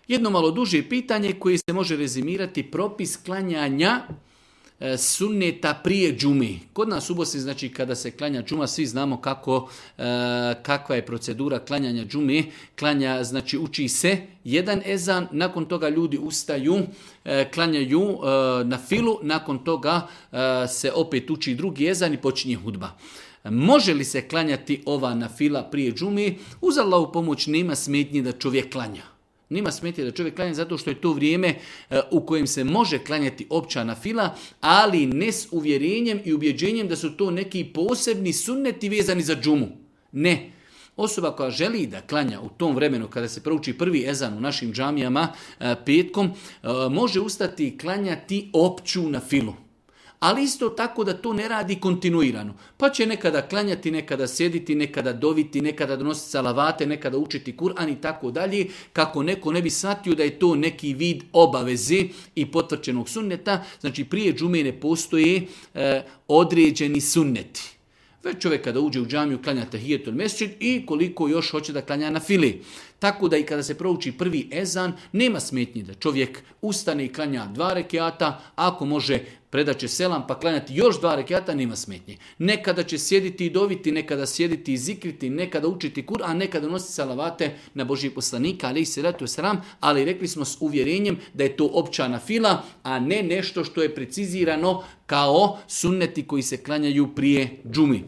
Jedno malo duže pitanje koje se može rezimirati propis klanjanja sunneta prije džumi. Kod nas u Bosni, znači kada se klanja džuma, svi znamo kakva je procedura klanjanja džume. Znači uči se jedan ezan, nakon toga ljudi ustaju, klanjaju na filu, nakon toga se opet uči drugi ezan i počinje hudba. Može li se klanjati ova na fila prije džume? Uz Allahovu pomoć nema smetnje da čovjek klanja. Nema smetnje da čovjek klanja zato što je to vrijeme u kojem se može klanjati opća nafila, ali ne s uvjerenjem i ubjeđenjem da su to neki posebni sunneti vezani za džumu. Ne. Osoba koja želi da klanja u tom vremenu kada se prouči prvi ezan u našim džamijama petkom, može ustati i klanjati opću nafilu. Ali isto tako da to ne radi kontinuirano. Pa će nekada klanjati, nekada sjediti, nekada doviti, nekada donositi salavate, nekada učiti Kur'an i tako dalje, kako neko ne bi shvatio da je to neki vid obaveze i potvrđenog sunneta. Znači prije džume ne postoje određeni sunneti. Već čovjek kada uđe u džamiju klanja tahijetul mesdžid i koliko još hoće da klanja na fili. Tako da i kada se prouči prvi ezan, nema smetnje da čovjek ustane i klanja 2 rekiata, ako može predat će selam pa klanjati još 2 rekiata, nema smetnje. Nekada će sjediti i doviti, nekada sjediti i zikriti, nekada učiti Kur'an, nekada nositi salavate na Božijeg poslanika, alejhi selatu vesselam, ali rekli smo s uvjerenjem da je to opća nafila, a ne nešto što je precizirano kao sunneti koji se klanjaju prije džumi.